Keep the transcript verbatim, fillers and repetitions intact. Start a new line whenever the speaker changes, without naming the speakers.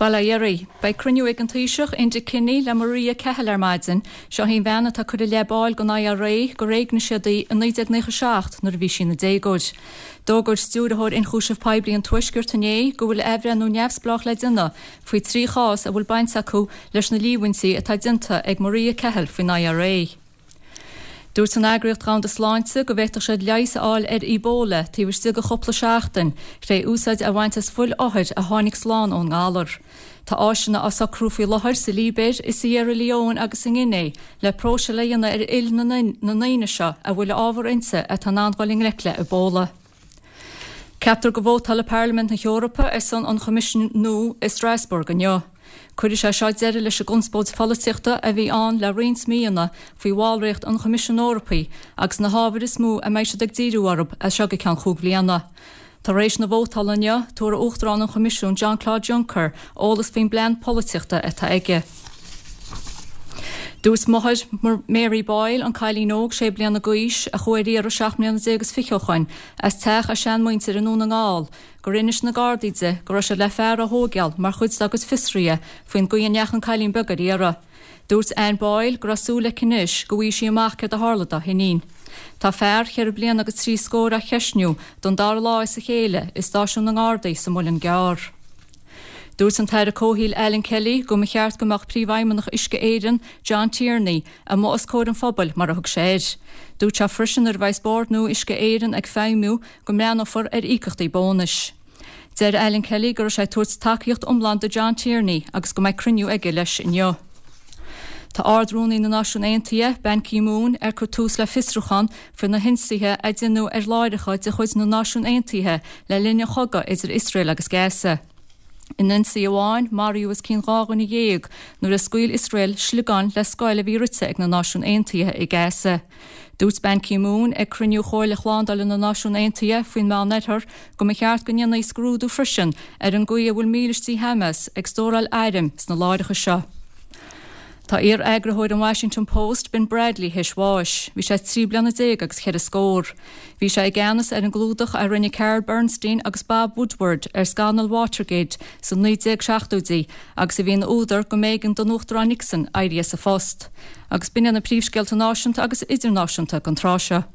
Bail ó Dhia oraibh. Beidh cruinniú ag an Taoiseach, Enda Kenny, le Maria Cahill ar maidin. Seo í an bhean atá curtha i leith baill den I R A gur éignigh siad í i naoi déag nócha seacht nuair a bhí sí ina déagóir. D'fhógair Stiúrthóir Ionchúiseamh Poiblí an Tuaiscirt inné go bhfuil athbhreithniú neamhspleách le déanamh faoi trí chás a bhfuil baint acu leis na líomhaintí atá déanta ag Maria Cahill faoin I R A. Dúirt an Eagraíocht Dhomhanda Sláinte go bhféadfadh siad leigheas a fháil ar Ebola taobh istigh de chúpla seachtain tré úsáid a bhaint as fuil othair a tháinig slán ón ngalar. Tá áiseanna á socrú faoi láthair sa Libéir, i Sierra Leone agus i nGuine le próiseáil a dhéanamh ar fhuil na ndaoine seo a bhfuil ábhar inti atá in ann dul i ngleic le Ebola. Ceaptar go vótálfaidh Parlaimint na hEorpa ar son an Choimisiúin nua i Strasbourg inniu. Cuirfidh sé seo deireadh leis an gconspóid pholaitíochta a bhí ann le roinnt míonna faoi bhallraíocht an Choimisiúin Eorpaigh agus na hábhair is mó a mbeidh siad ag díriú orthu as seo go ceann cúig bliana. Tar éis na vótála inniu, tabharfaidh Uachtarán an Choimisiúin Jean-Claude Juncker eolas faoin bplean polaitíochta atá aige. Dúirt máthair Mary Boyle, an cailín óg sé bliana d'aois a chuaigh ar iarraidh seacht mbliana déag is fiche ó shin as teach a seanmhuintir i nDún na nGall, gur inis na Gardaí di go raibh siad le fear a thógáil mar chuid dá gcuid fiosruithe faoin gcaoi a ndeachaigh an cailín beag ar iarraidh. Dúirt Anne Boyle go raibh súil aici anois go bhfaighidh sí amach céard a tharla dá hiníon. Tá fear ceithre bliana agus trí scór á cheisniú don dara lá as a chéile i stáisiún na nGardaí sa Muileann gCearr. Dúirt an tAire Comhshaoil Alan Kelly go mba cheart go mbeadh príomhfheidhmeannach Uisce Éireann John Tierney amuigh os comhair an phobail mar a thug sé air. Dúirt sé freisin nuair a bheas bord nua Uisce Éireann ag feidhmiú go mbreathnófar ar íocaíochtaí bónais. Deir Alan Kelly go raibh sé ag tabhairt tacaíocht iomlán do John Tierney agus go mbeidh cruinniú aige leis inniu. Tá Ard-Rúnaí na Náisiún Aontaithe Ban Ki-moon ar cur tús le fiosrúchán faoi na hionsaithe a déanadh ar láithreacha de chuid na Náisiún Aontaithe le linn an chogaidh idir Iosrael agus Gaza. In ionsaí amháin maraíodh os cionn dhá dhuine dhéag nuair a scaoil Iosrael sliogáin le scoil a bhí rite ag na Náisiún Aontaithe i Gaza. Dúirt Ban Ki-moon ag cruinniú Chomhairle Shlándála na Náisiún Aontaithe faoin Meánoirthear go mba cheart go ndéanfaí scrúdú freisin ar an gcaoi a bhfuil mílístí Hamas ag stóráil airm sna láithreacha seo. Tá iar-eagarthóir an Washington Post Ben Bradley théis bháis, bhí sé trí bliana déag agus ceithre scór. Bhí sé i gceannas ar an gclúdach a rinne Carl Bernstein agus Bob Woodward ar scannal Watergate sa naoi déag seachtóidí agus a bhí ina údar go mb'éigean don Uachtarán Nixon éirí as a phost. Agus b'in na príomhscéalta náisiúnta agus idirnáisiúnta don tráth seo.